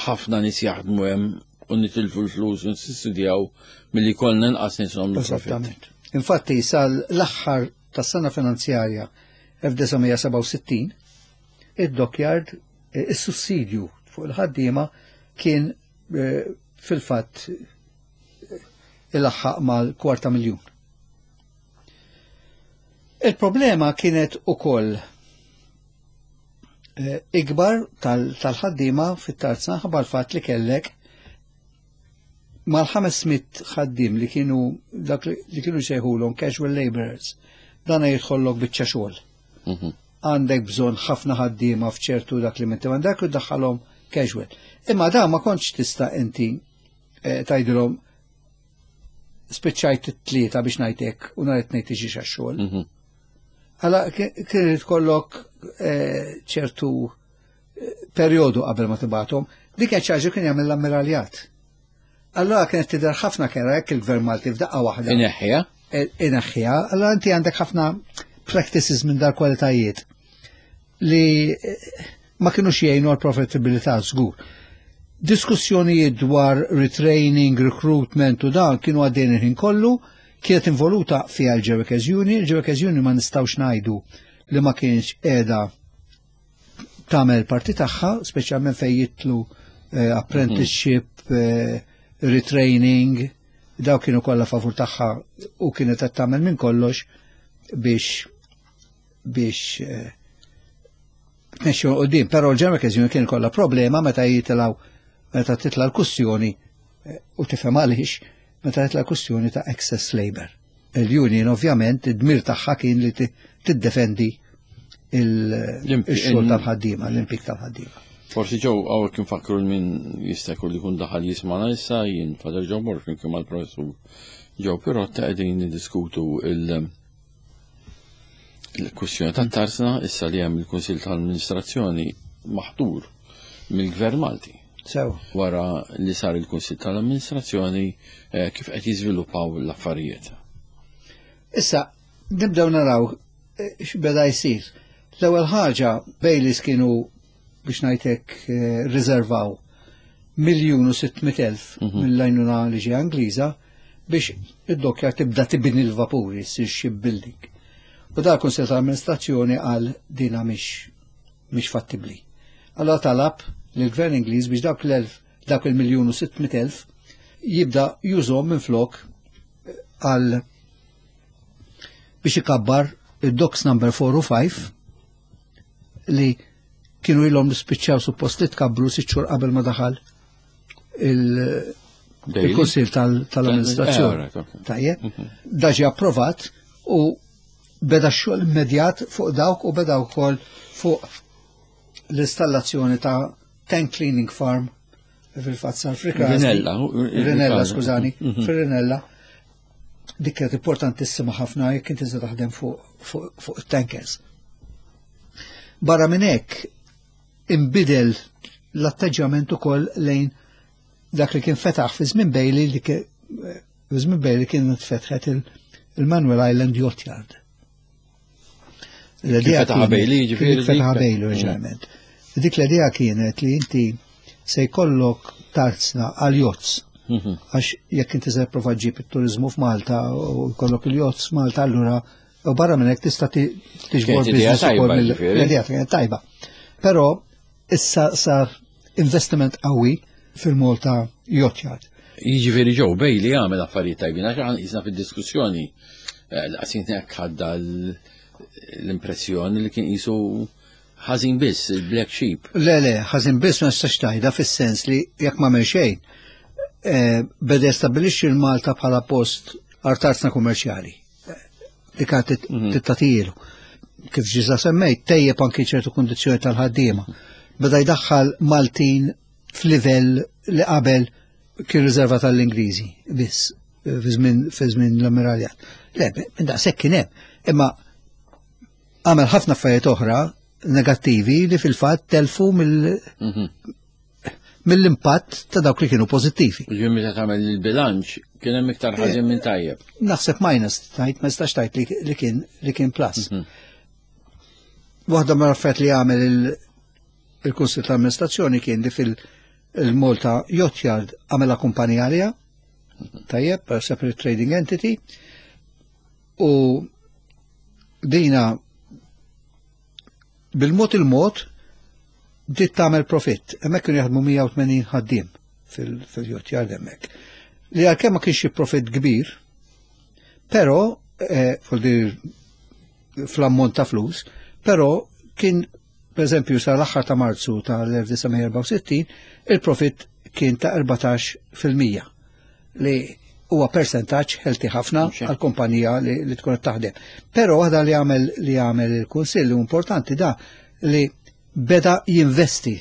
ħafna nies jaħdmu hemm u nitilfu l-flus u nissussidjaw milli jkollna inqas nies nagħmlu profitt. Eżattament. Infatti sal-aħħar tas-sena finanzjarja 1967 id-dockyard eh, is-sussidju fuq il-ħaddiema kien eh, fil-fatt eh, ilaħħaq mal-kwarta miljun. Il-problema kienet ukoll eh, ikbar tal-ħaddiema fit-tarzna ħabba l-fatt li kellek mal-500 ħaddim li kienu dak li kienu sejħulhom casual laborers. Dan jidħollok biċċa xogħol. Mhm. Għandek bżonn ħafna ħaddiema f'ċertu dak li minti għandek u daħħalhom casual. Imma da ma kontx tista' inti eh, tgħidilhom spiċċajt it-tlieta biex ngħidlek u nhar it-tnejn tiġi xogħol. Mhm. Għala kien irid kollok eh, ċertu eh, perjodu qabel ma tibatom, dik kienet xi ħaġa kien jagħmel l-ammiraljat. Allora kienet tidher ħafna kera jekk il-Gvern Malti f'daqqa waħda. Ineħħiha? Eh, ineħħiha, allora inti għandek ħafna practices minn dar kwalitajiet li ma kinux jgħinu għal profitabilità żgur. Diskussjonijiet dwar retraining, recruitment u dan kienu għaddejn il-ħin kollu, kienet involuta fiha l-Workers Union, il-Workers Union ma nistgħux ngħidu li ma kienx qiegħda tagħmel parti tagħha, speċjalment fejn jitlu eh, apprenticeship, eh, retraining, daw kienu kollha favur tagħha u kienet qed tagħmel minn kollox biex biex eh, tmexxu qudiem, però l-General Workers Union kien kollha problema meta jitilgħu meta titla' l-kussjoni eh, u tifhem għaliex meta titla' l-kussjoni ta' excess labor. Il-union ovvjament id-dmir tagħha kien li tiddefendi il-xogħol tal-ħaddiema, l-impjieg tal-ħaddiema. Forsi ġew hawnhekk infakkru min jista' jkun li jkun daħal jismana issa jien Father Joe Borg flimkien mal-Professur Joe Pirotta qegħdin niddiskutu il- Il-kwistjoni tat-tarzna issa li hemm il-Kunsill tal-Amministrazzjoni maħtur mill-Gvern Malti. Sew. Wara li sar il-Kunsill tal-Amministrazzjoni eh, kif qed jiżviluppaw l-affarijiet. Issa, nibdew naraw eh, x'beda jsir. L-ewwel ħaġa Baileys kienu biex ngħidlek eh, riservaw 1,600,000 mhm. mill-għajnuna li ġie Angliża biex id-dokkja tibda tibni l-vapuri, ssir shipbuilding. U da kunsil tal-amministrazzjoni għal dina mhix mhix fattibbli. Allora talab lill-Gvern Ingliż biex dawk l-elf dawk il-miljun u 600,000 jibda jużhom minn flok għal biex ikabbar id-docks number 4 u 5 li kienu ilhom li spiċċaw suppost li tkabbru sitt xhur qabel ma daħal il-Kunsil tal-Amministrazzjoni. Eh, Tajjeb, mhm. da ġie approvat u beda x-xogħol immedjat fuq dawk u beda wkoll fuq l-installazzjoni ta' tank cleaning farm fil-fatt sar Rinella. Rinella, skużani, mhm. fir-Rinella. Dik kienet importantissima ħafna jekk inti se taħdem fuq it-tankers. Barra minn hekk inbidel l-atteġġjament ukoll lejn dak li kien fetaħ fi żmien Bailey li fi żmien Bailey kien tfetħet il-Manuel Island Yacht Yard. L-idea fetaħ Bailey, ġifieri. Fetaħ Bailey oriġinalment. Mm. Dik l-idea kienet li inti se jkollok tarzna għal yachts. Mhm. Għax jekk inti se prova ġib it-turizmu f'Malta u jkollok il-yachts f'Malta allura u barra minn hekk tista' tiġbor business ukoll mill-idea kienet tajba. Però issa sar investiment qawwi fil-Malta Yacht Yard. Jiġifieri Joe Bailey għamel affarijiet tajbin għax aħna qisna fid-diskussjoni eh, laqsin hekk ħadda l-impressjoni li kien qisu ħażin biss, il-black sheep. Le, le, ħażin biss ma nistax tgħidha fis-sens li jekk ma xejn, eh, beda jistabbilixxi l-Malta bħala post artarzna kummerċjali. Dik għad mhm. tittatilu. Kif ġiża semmejt, tejjeb anki ċertu kundizzjoni tal-ħaddiema. Beda jdaħħal Maltin f'livell li qabel kien riserva tal-Ingliżi biss fi żmien l-ammiraljat. Le, minn daqshekk kien hemm. Imma għamel ħafna affarijiet oħra negattivi li fil-fatt telfu mill mhm. mill-impatt ta' dawk li kienu pożittivi. Ġifieri meta tagħmel il-bilanċ kien hemm iktar ħażin minn tajjeb. Naħseb minus tajt ma jistax tajt li kien li kien plus. Waħda mill-affarijiet li għamel il-Kunsill ta' Amministrazzjoni kien li fil-Malta Yacht Yard għamela kumpanija għaliha, tajjeb, separate trading entity, u dina bil-mod il-mod bdiet tagħmel profitt. Hemmhekk kienu jaħdmu 180 ħaddiem fil-yacht yard hemmhekk. Li għalkemm ma kienx profitt kbir, però eh, fl-ammont ta' flus, però kien per eżempju sa l-aħħar ta' Marzu tal-1964 il-profitt kien ta' 14% li huwa persentaġġ ħelti ħafna għal kumpanija li, li tkun qed taħdem. Però waħda li għamel li għamel il-Kunsill importanti da li beda jinvesti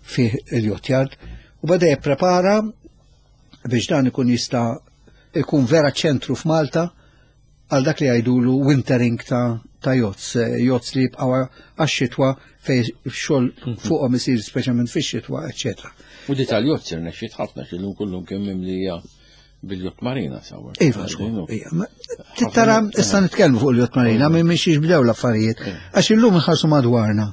fih il-yacht yard u beda jipprepara biex dan ikun jista' ikun vera ċentru f'Malta għal dak li jgħidulu wintering ta' ta' yachts, eh, yachts li jibqgħu għax-xitwa fej xogħol mhm. fuqhom isir speċjalment fix-xitwa, eċetera. U di tal-yachts irnexxiet ħafna x'illum kullum kemm mimlija bil-yacht marina sawa. Iva, iva. Tittara, issa nitkellmu fuq il-yacht marina, minn minn xiex bdew l-affarijiet, għax illum nħarsu madwarna.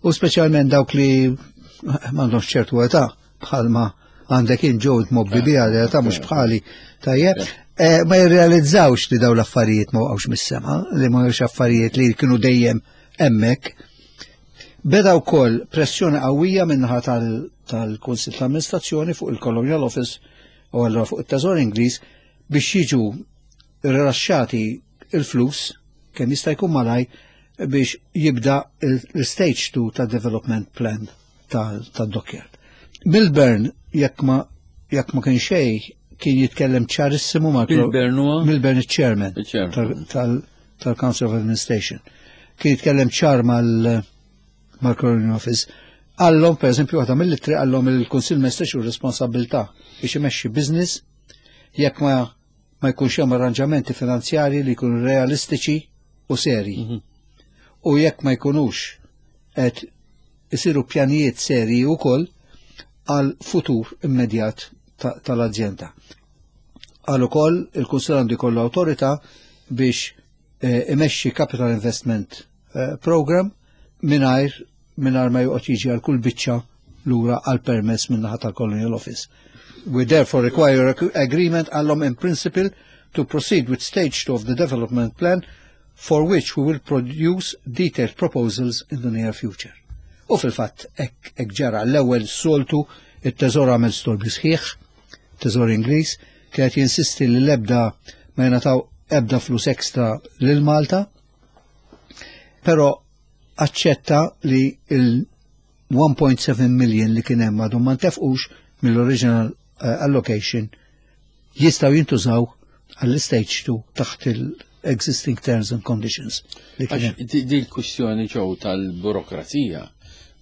U speċjalment dawk li m'għandhomx ċertu età bħalma għandek in ġew mobbi biha li ta' mhux bħali tajjeb. Eh, ma jirrealizzawx li daw l-affarijiet ma waqgħux mis-sema, li ma affarijiet li kienu dejjem hemmhekk. Beda wkoll pressjoni qawwija minnaħa tal-Kunsill ta' Amministrazzjoni fuq il-Colonial Office u allura fuq it-Teżor Ingliż biex jiġu rilaxxati il-flus kemm jista' jkun malaj biex jibda l-stage 2 ta' development plan tad-dockyard. Milburn jekk ma jekk ma kien xejn kien jitkellem ċarissimu ma' Milburn huwa Milburn il-chairman tal-Council of Administration. Kien jitkellem ċar mal mal-Colonial Office. Għallhom, per eżempju, waħda mill-ittri għallhom il-Kunsill ma jistax responsabilità biex imexxi business jekk ma ma jkunx hemm arranġamenti finanzjarji li jkunu realistiċi u seri. Mm -hmm. U jekk ma jkunux qed isiru pjanijiet serji wkoll għal futur immedjat tal-azjenda. Għal ukoll il-Kunsill għandu jkollu awtorità biex eh, imexxi Capital Investment eh, Program mingħajr mingħajr ma joqgħod jiġi għal kull biċċa lura għal permess min-naħa tal-Colonial Office. We therefore require agreement għallhom in principle to proceed with stage 2 of the development plan for which we will produce detailed proposals in the near future. U fil-fatt hekk ġara l-ewwel soltu it-teżor għamel storbi sħiħ, teżor Ingliż, kienet jinsisti li l-ebda ma jingħataw ebda flus ekstra lil Malta, però aċċetta li il-1.7 million li kien hemm għadhom ma ntefqux mill-original eh, allocation jistgħu jintużaw għall-stage 2 taħt il-existing terms and conditions. Di l-kwistjoni ġew tal-burokrazija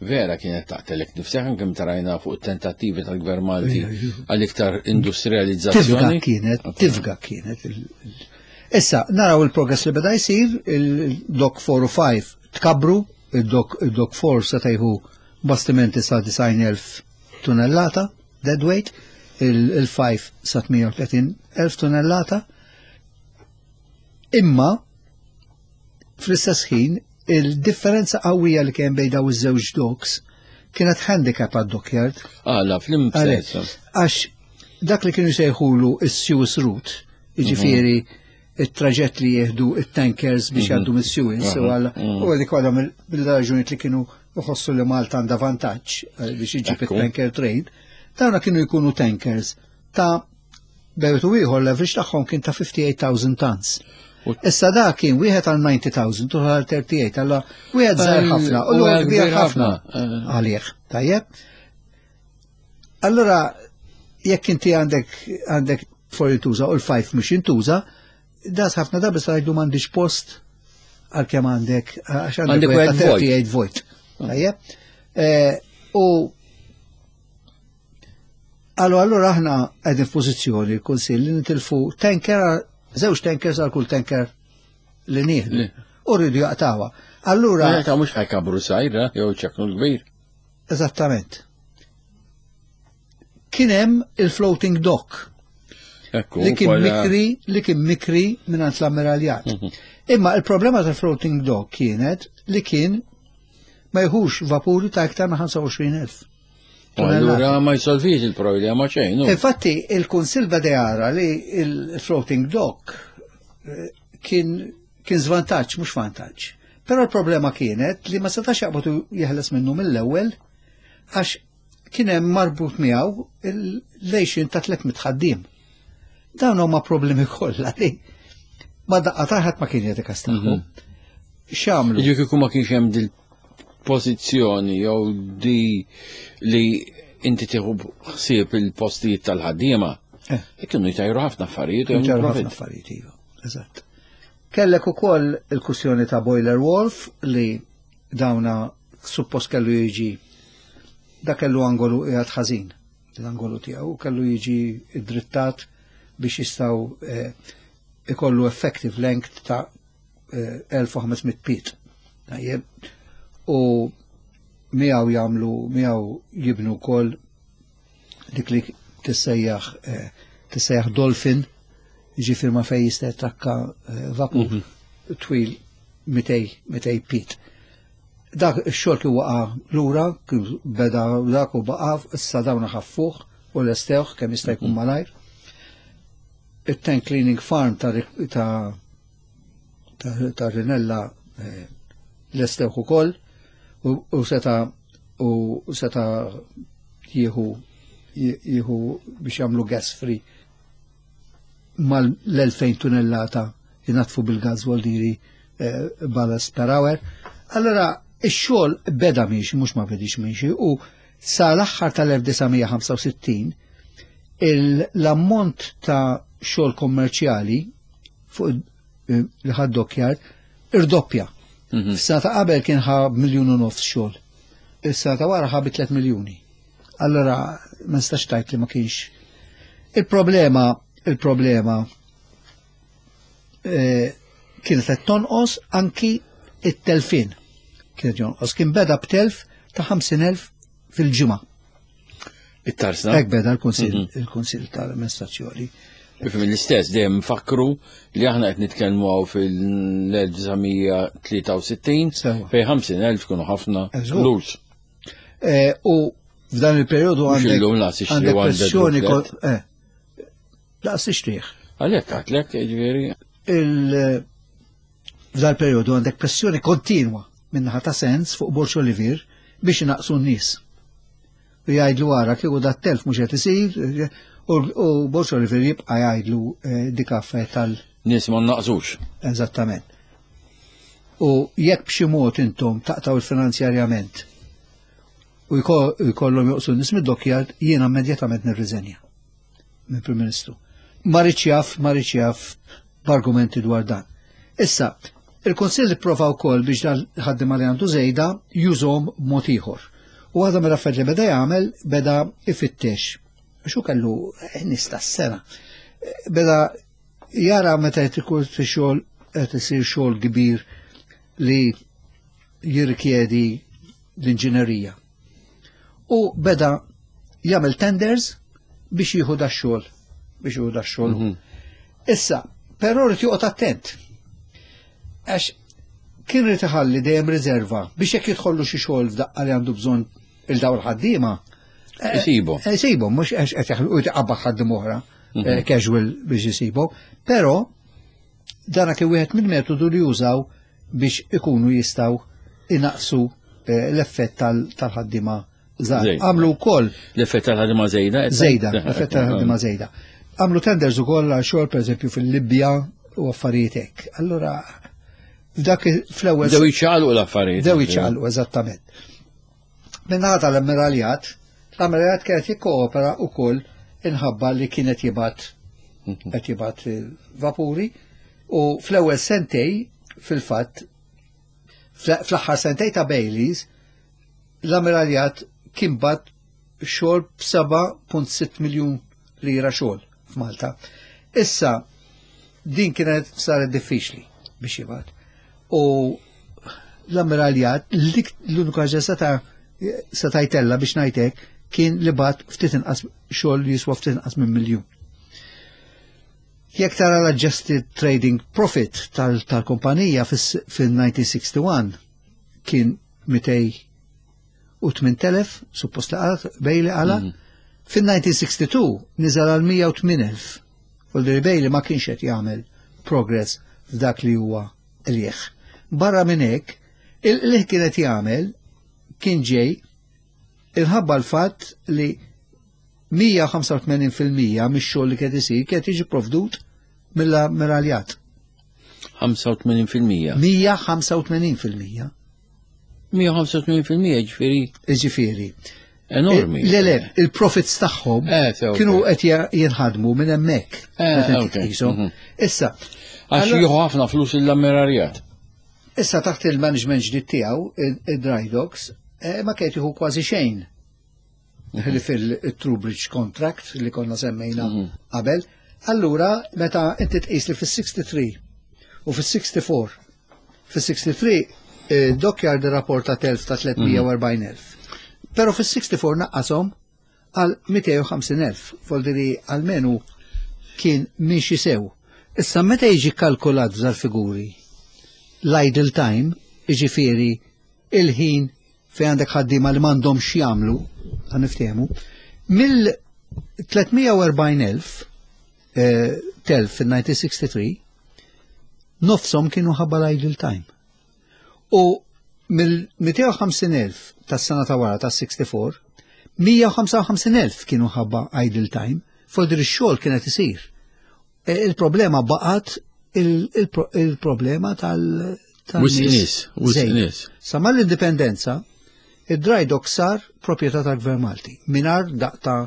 vera kienet taqtelek nifsek anke meta rajna fuq tentattivi tal-Gvern Malti għal iktar industrializzazzjoni. Tifga kienet, tifga kienet. Issa, naraw il-progress li beda jsir, il-Dock 4 u 5 tkabru, il-Dock 4 se tajħu bastimenti sa 90,000 tunnellata, deadweight, il-5 sa 38,000 tunnellata. Imma, fl-istess ħin, il-differenza qawwija li kien bejn daw iż-żewġ docks kienet handicap għad-dockyard. Għala, fl-imsens. Għax dak li kienu sejħulu is-Suez Route, jiġifieri mhm. it-traġett li jieħdu it-tankers biex mhm. jgħaddu mis-Suez, u għal mhm. u għalik għadha mill-raġunijiet li kienu jħossu li Malta għandha vantaġġ eh, biex iġib it-tanker trade, dawna kienu jkunu tankers ta' bejtu ieħor l-average tagħhom kien ta' 58,000 tons. Issa da kien wieħed għal 90,000 u għal 38, alla wieħed żgħar ħafna u l kbir ħafna eh. għalih. Tajjeb? Allora, jekk inti għandek għandek for jintuża u l-5 mhux jintuża, das ħafna drabi sa jgħidu m'għandix post għal kemm għandek għax għandek 38 vojt. Tajjeb? Eh, u Allu allura aħna qegħdin f'pożizzjoni l-Kunsill li nitilfu tanker żewġ tankers għal kull tanker li nieħdu. U rridu jaqtawha. Allura. Ta' mhux ħajkabru sajra jew ċeknu l-kbir. Eżattament. Kien hemm il-floating dock. Li kien mikri, li kien mikri mingħand l-ammiraljat. Mhm. Imma il-problema tal-floating dock kienet li kien ma jħux vapuri ta' iktar ma' 25,000. Allura ma jsolvix il-problema xejn. Infatti il-Kunsill beda jara li il-floating dock eh, kien kien żvantaġġ mhux vantaġġ. Però l-problema kienet li ma setax jaqbad jeħles minnu mill-ewwel għax kien hemm marbut miegħu l-lejxin ta' 300 ħaddiem. Dawn huma problemi kollha li ma daqqa taħat ma kien jagħti każ tagħhom. Mhm. X'għamlu? Jiġu kieku ma kienx hemm dil pożizzjoni jew di li inti tieħu ħsieb il-postijiet tal-ħaddiema. Eh. Kienu jtajru ħafna affarijiet. Jtajru ħafna affarijiet, iva. Eżatt. Kellek ukoll il-kwistjoni ta' Boiler Wolf li dawna suppost kellu jiġi da kellu angolu qiegħed ħażin l-angolu tiegħu kellu jiġi drittat biex jistgħu eh, ikollu effective length ta' 1500 eh, piet. Tajjeb. U miegħu jagħmlu miegħu jibnu wkoll dik li tissejjaħ eh, tissejjaħ dolphin, ġifier ma fej jista' jattakka eh, vapur mhm. twil 200 piet. Dak ix-xogħol kien waqa' lura, kien beda dak u baqa' issa dawn ħaffuh u lestewh kemm jista' jkun mhm. malajr. It-tank cleaning farm ta' ta' ta' Rinella eh, lestewh ukoll u seta' u seta' jieħu jieħu biex jagħmlu gas free mal-2000 tunellata jinatfu bil-gas voldiri eh, ballast per hour. Allora, ix-xogħol beda miexi, mhux ma bedix miexi, u sa l-aħħar tal-1965 l-ammont ta' xogħol kommerċjali fuq eh, li ħad dockyard irdoppja. Mhm. Fis-sena ta' qabel kien ħa miljun u nofs xogħol. Is-sena ta' wara ħa bi 3 miljuni. Allora ma nistax tajt li ma kienx. Il-problema, il-problema eh, kienet qed tonqos anki it-telfin. Kienet jonqos. Kien beda b'telf ta' 50,000 fil-ġimgħa. It-tarsna. Hekk beda l-Kunsill mhm. il-Kunsill tal-Amministrazzjoni. Ifhem l-istess dejjem nfakru li aħna qed nitkellmu hawn fil-1963 fejn 50,000 kienu ħafna flus. Eh, u f'dan il-perjodu għandek għandek pressjoni eh, laqas tixtrih. Għalhekk għatlek jiġifieri. F'dan il-perjodu għandek pressjoni kontinwa minnaħa ta' sens fuq Borċ Olivier biex inaqsu n-nies. U jgħidlu għara kieku dat telf mhux qed isir u Borċ Olivier jibqa' jgħidlu eh, dik affarijiet tal- Nies ma naqsux. Eżattament. U jekk b'xi mod intom taqtaw il-finanzjarjament u jkollhom joqsu n-nies mid-dokkjard, jiena immedjatament nirriżenja minn Prim Ministru. Ma rridx jaf, ma rridx jaf b'argumenti dwar dan. Issa, il-Kunsill ipprova wkoll biex dan ħaddiema li għandu żejda jużhom b'mod ieħor. U waħda mill-affarijiet li beda jagħmel beda ifittex. Għax hu kellu nies tas-sena. Beda jara meta qed ikun xogħol qed isir xogħol kbir li jirrikjedi l-inġinerija. U beda jagħmel tenders biex jieħu da xogħol biex jieħu da xogħol. Mhm. Issa, però rrid joqgħod attent. Għax kien rrid iħalli dejjem riserva biex jekk jidħollu xi xogħol f'daqqa li għandu bżonn il-dawl ħaddiema. Eh, isibu. Eh, isibu, mhux għax qed jaħlu jtaqabba ħaddiem oħra mhm. eh, casual biex isibu, però dana kien wieħed mill-metodu li jużaw biex ikunu jistgħu inaqsu l-effett tal-ħaddiema żgħar. Għamlu wkoll. L-effett tal-ħaddiema żejda? Żejda, l-effett tal-ħaddiema żejda. Għamlu tenders ukoll għal xogħol pereżempju fil-Libja u affarijiet hekk. Allura f'dak fl-ewwel. Dew iċċaqalqu l-affarijiet. Dew iċċaqalqu eżattament. Minnaħa tal-ammiraljat, l-ammiraljat kienet jikkoopera wkoll inħabba li kienet jibgħat mhm. qed jibgħat vapuri u fl-ewwel sentej fil-fatt fl-aħħar sentej ta' Baileys l-ammiraljat kien bat xogħol b'7.6 miljun lira xogħol f'Malta. Issa din kienet saret diffiċli biex jibgħat. U l-ammiraljat l-unika ħaġa seta' seta' jtella biex ngħidlek kien li bat ftit inqas xogħol li jiswa ftit inqas minn miljun. Jekk tara l-adjusted trading profit tal-kumpanija fil-1961 kien 208,000, suppost li qalat, Bailey qala, fil-1962 niżel għal 108,000. Voldiri Bailey ma kienx qed jagħmel progress f'dak li huwa qligħ. Barra minn hekk, il-qligħ kien qed jagħmel kien ġej inħabba l-fatt li 185% mix-xogħol li kien isir kien jiġi provdut mill-amiraljatt. 85%. 185%. 185% ġifieri. Ġifieri. Enormi. Le, le, il-profits tagħhom eh, kienu qed jinħadmu minn hemmhekk. Eh, Issa. Għax jieħu ħafna flus l-amiraljatt. Issa taħt il-management ġdid tiegħu, id-Dry Docks, eh, ma kien jieħu kważi xejn. Li fil-Troubridge contract li konna semmejna qabel. Allura, meta inti tqis li fis-63 u fis-64, fis-63 eh, Dockyard rapporta telf ta' 340,000. Pero fis-64 naqqashom għal 250,000, voldiri almenu kien miexi sew. Issa meta jiġi kalkulat f'dal-figuri l-idle time, jiġifieri il-ħin fejn għandek ħaddiema li m'għandhomx jagħmlu, ħa niftehmu, mill-340,000 eh, telf fil-1963, nofsom kienu ħabba l-idle time. U mill-250,000 tas-sena ta' wara tas-64, 155,000 kienu ħabba idle time, voldiri x-xogħol kienet isir. E, Il-problema baqgħet il-problema tal- Wisq nies, wisq nies. Sa mal-indipendenza, id-dry dock sar proprjetà tal-Gvern Malti, mingħajr daqq ta'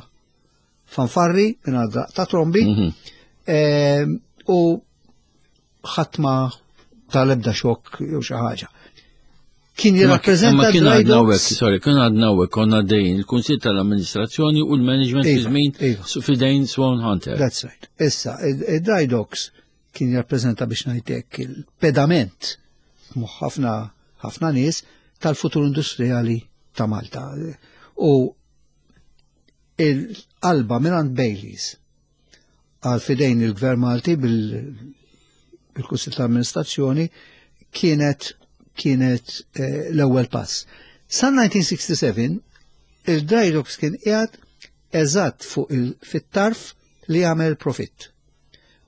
fanfarri, mingħajr daqq ta' trombi, u ħadd ma tal-ebda xokk jew xi ħaġa. Kien jirrappreżenta Ma kien dry għadna docks. hekk, sorry, kien għadna hekk, konna dejn il-Kunsill tal-Amministrazzjoni u l-Management fi Iva, żmien iva. fidejn Swan Hunter. That's right. Issa, id-dry docks kien jirrappreżenta biex ngħidlek il-pedament moħħ ħafna ħafna nies tal-futur industrijali ta' Malta. U il-qalba minn Baileys għal fidejn il-Gvern Malti bil-Kunsill ta' Amministrazzjoni kienet kienet eh, l-ewwel pass. Sa 1967 il-Dry Docks kien qiegħed eżatt fuq il fit-tarf li jagħmel profitt.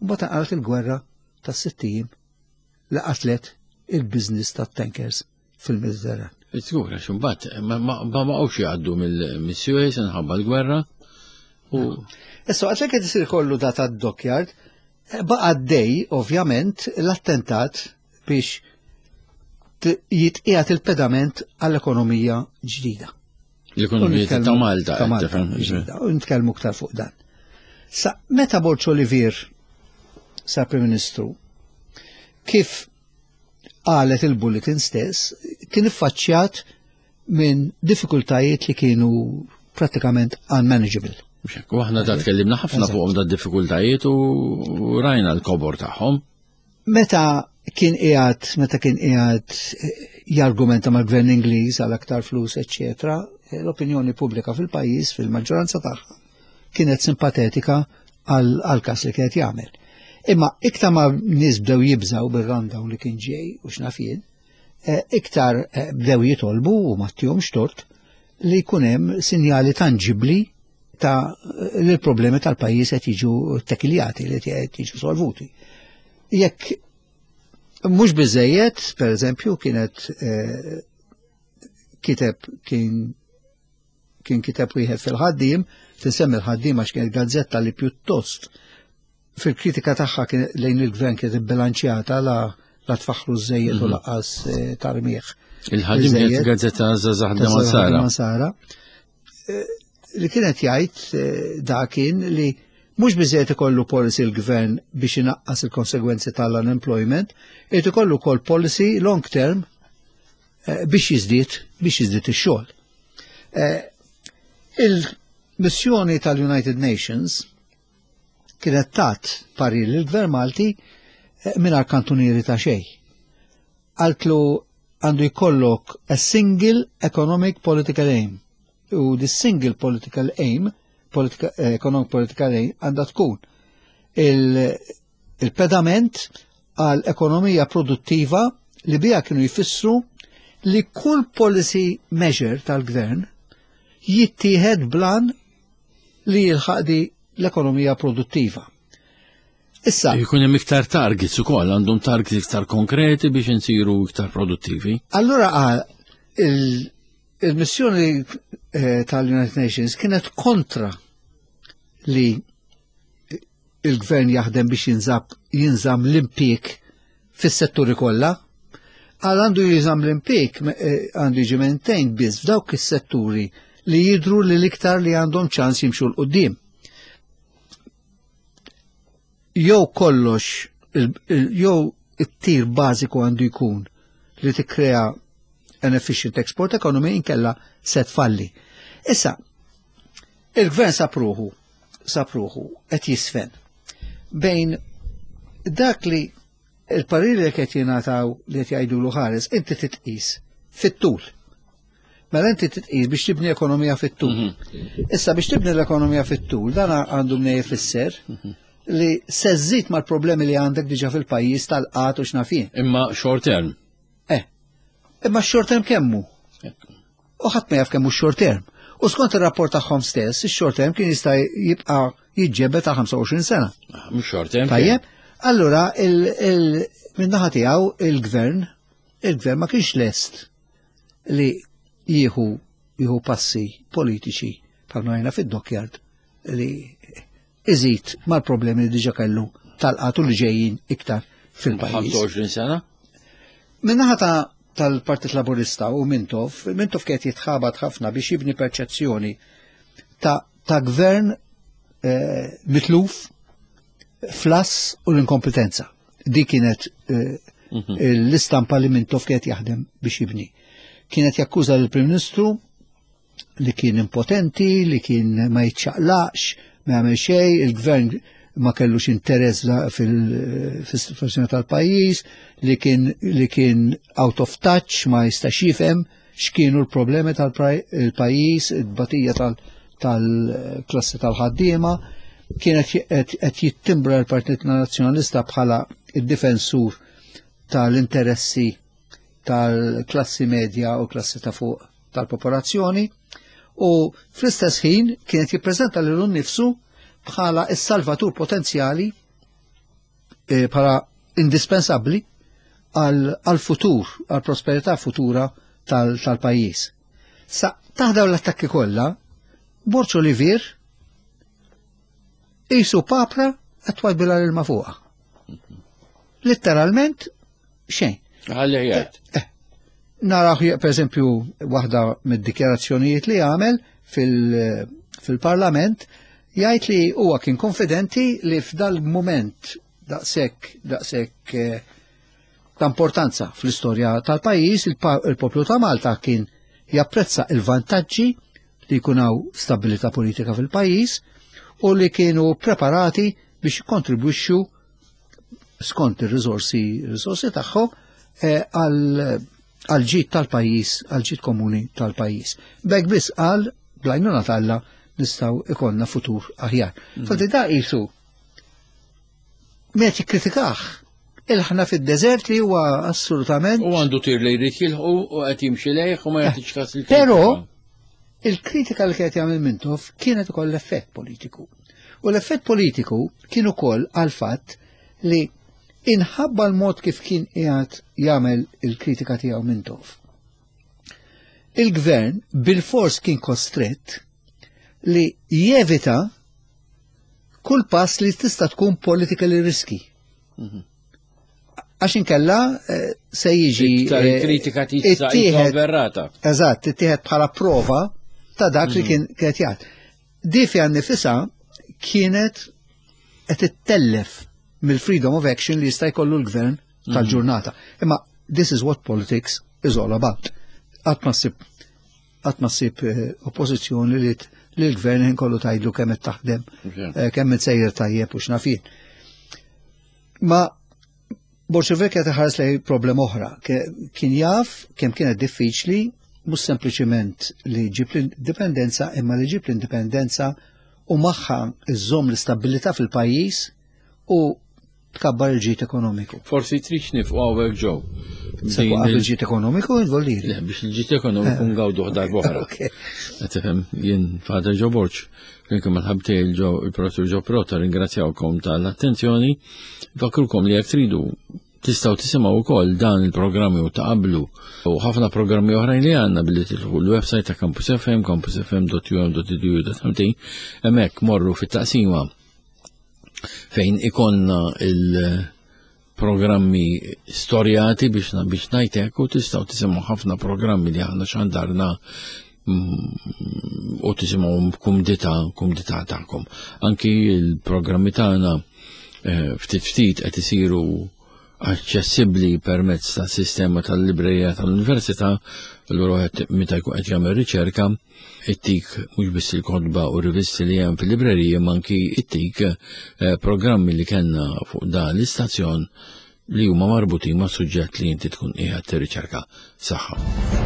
Mbagħad inqalgħet il-gwerra tas-sitt ijiem li qatlet il-business tat-tankers fil-Mediterran. Żgur, għax imbagħad ma ma baqgħux jgħaddu mill-Suez inħabba l-gwerra u Issa għax qed isir kollu da tad-dockyard, eh, baqa' dej ovvjament l-attentat biex jitqiegħed il-pedament għall-ekonomija ġdida. l-ekonomija ta' Malta. Ta' Malta. tifhem, ġdida, U nitkellmu aktar fuq dan. Sa meta Borg Olivier sa Prim Ministru, kif qalet il-bulletin stess, kien iffaċċjat minn diffikultajiet li kienu pratikament unmanageable. Mhux hekk, U aħna da tkellimna ħafna Eżatt. fuqhom da diffikultajiet u u rajna l-kobor tagħhom. Meta kien qiegħed meta kien qiegħed eh, jargumenta mal-gvern Ingliż għal aktar flus, eċċetera, eh, l-opinjoni pubblika fil-pajjiż fil-maġġoranza tagħha kienet simpatetika għal każ li kienet jagħmel. Imma iktar ma nies bdew jibżaw bir-rundown li kien ġej u x'naf jien, eh, iktar eh, bdew jitolbu u ma tihomx tort li jkun hemm sinjali tanġibli ta' li l-problemi tal-pajjiż qed jiġu tekiljati, li qed jiġu solvuti. Jekk mhux biżejjed, per eżempju, kienet eh, kiteb kien kien kiteb wieħed fil-ħaddiem, tinsemmi l-ħaddiem għax kienet gazzetta li pjuttost fil-kritika tagħha kien lejn il-gvern kienet ibbilanċjata la la tfaħru żejjed u lanqas eh, tarmieħ. Il-ħaddiem kienet Biżejjed. gazzetta Żgħażagħ Sara. Sara. Eh, Li kienet jgħid eh, da kien li mhux biżejjed ikollu policy l-gvern biex inaqqas il-konsegwenzi tal-unemployment, irid ikollu wkoll policy long term eh, biex jiżdied biex jiżdied ix-xogħol. Eh, Il-missjoni tal-United Nations kienet tat parir lill-Gvern Malti eh, mingħajr kantunieri ta' xejn. Qaltlu għandu jkollok a single economic political aim. U the single political aim, politika, eh, economic political aim, għandha tkun il-pedament għal ekonomija produttiva li biha kienu jfissru li kull policy measure tal-gvern jittieħed blan li jilħaq di l-ekonomija produttiva. Issa. Jkun hemm iktar targets ukoll, għandhom targets iktar konkreti biex insiru iktar produttivi. Allura qal il-missjoni eh, tal-United Nations kienet kontra li il-gvern jaħdem biex jinżab jinżam l-impjieg fis-setturi kollha. Għal għandu jinżam l-impjieg eh, għandu jiġi maintained biss f'dawk is-setturi li jidru li l-iktar li għandhom ċans jimxu l-qudiem. Jew kollox, jew it-tir bażiku għandu jkun li tikkrea an efficient export economy inkella se tfalli. Issa, il-gvern sapruħu, sapruħu qed jisfen bejn dak li il-pariri li qed jingħataw li qed jgħidulu ħares, inti titqis fit-tul. Mela inti titqis biex tibni ekonomija fit-tul. Mhm. Issa biex tibni l-ekonomija fit-tul, dan għandu mnej jfisser mhm. li se żżid mal-problemi li għandek diġà fil-pajjiż tal-qat u x'nafien. Imma short term. Eh. Imma short term kemmu? U ħadd ma jaf kemm hu short term. U skont ir-rapport tagħhom stess, ix-short term kien jista' jibqa' jiġġebed ta' 25 sena. Ah, mhux short term. Tajjeb, allura min-naħa tiegħu il-gvern, il-gvern ma kienx lest li jieħu jieħu passi politiċi bħalma rajna fid-dockyard li iżid mal-problemi li diġa kellu tal-qatu li ġejjin iktar fil-pajjiż. 25 sena? Minnaħa ta' tal-Partit Laburista u Mintoff, Mintoff kienet jitħabat ħafna biex jibni perċezzjoni ta', ta gvern eh, mitluf flass u l-inkompetenza. Di kienet eh, mhm. l-istampa li Mintoff kienet jaħdem biex jibni. Kienet jakkuża l-Prim Ministru li kien impotenti, li kien ma jitċaqlaqx, ma jagħmel xejn, il-gvern ma kellux interess fil-situazzjoni tal-pajjiż, li kien li kien out of touch, ma jistax jifhem x'kienu l-problemi tal-pajjiż, it-tbatija tal-klassi tal-ħaddiema, kienet qed jittimbra l-Partit Nazzjonalista bħala id-difensur tal-interessi tal-klassi medja u klassi ta' fuq tal-popolazzjoni u fl-istess ħin kienet jippreżenta lilu nnifsu bħala s-salvatur potenzjali eh, bħala indispensabbli għal-futur, għal-prosperità futura tal-pajjiż. Sa taħdaw l-attakki kollha, Borċ Olivier Isu papra qed bila l-ilma fuqha. Litteralment xejn. Għalli jgħid. Eh, eh. Naraw per eżempju waħda mid-dikjarazzjonijiet li għamel fil-parlament jgħid li huwa kien konfidenti li f'dal-moment daqshekk daqshekk eh, ta' importanza fl-istorja tal-pajjiż il-poplu ta' Malta kien japprezza il-vantaġġi li jkun hawn stabilità politika fil-pajjiż u li kienu preparati biex jikkontribwixxu skont ir-riżorsi riżorsi tagħhom eh, għal ġid tal-pajjiż, għal ġid komuni tal-pajjiż. Bek biss qal blajnuna talla nistgħu ikollna futur aħjar. Mm. Fadi da qisu Met jikkritikah il-ħna fid-deżert li huwa assolutament. U għandu tir li jrid jilħu u qed jimxi lejh u ma eh, jagħtix kas il Però il-kritika li kienet jagħmel Mintoff kienet ukoll l-effett politiku. U l-effett politiku kien ukoll għal fatt li inħabba l-mod kif kien qiegħed jagħmel il-kritika tiegħu Mintoff. Il-gvern bil-fors kien kostrett li jevita kull pass li tista' tkun politically risky. Mhm. Għax inkella eh, se jiġi. Iktar eh, kritika tista' verrata. Eżatt, ittieħed bħala prova ta' dak li mhm. kien qed jgħid. Di fiha nifisha kienet qed ittellef mill-freedom of action li jista' jkollu l-gvern mhm. tal-ġurnata. Imma this is what politics is all about. Qatt ma ssib qatt ma ssib eh, oppożizzjoni li l-gvern ħin kollu tgħidlu kemm qed taħdem, eh, kemm qed sejjer tajjeb u x'nafin. Ma Bolxevik qed iħares lej problema oħra. Kien jaf kemm kienet diffiċli mhux sempliċiment li ġib l-indipendenza imma li ġib l-indipendenza u magħha iżżomm l-istabilità fil-pajjiż u tkabbar il-ġid ekonomiku. Forsi trix nifqu hawnhekk ġew. Il-ġid ekonomiku involiri. Le, biex il-ġid ekonomiku eh. ngawdu darba oħra. Tifhem, jien Father Joe Borg, flimkien mal-ħabtej il-Professur Joe Prota ringrazzjawkom tal-attenzjoni. Fakrukom li jekk tridu Tistgħu tisimgħu wkoll dan il-programmi u ta' qablu u ħafna programmi oħrajn li għandna billi tidħlu l-website ta' Campus FM, campusfm.um.edu.mt, hemmhekk morru fit-taqsima fejn ikonna il-programmi storjati biex biex ngħidlek u tistgħu tisimgħu ħafna programmi li aħna xandarna mm, u tisimgħu kumdità kumdità tagħkom. Anki il-programmi tagħna eh, ftit ftit qed isiru aċċessibbli permezz ta' sistema tal-librerija tal-università, allura wieħed meta jkun qed jagħmel riċerka, ittik mhux biss il-kotba u rivisti li hemm fil-librerija ma anki ittik eh, programmi li kellna fuq dan l-istazzjon li huma marbutin ma' suġġett li inti tkun qiegħed tirriċerka. Saħħa.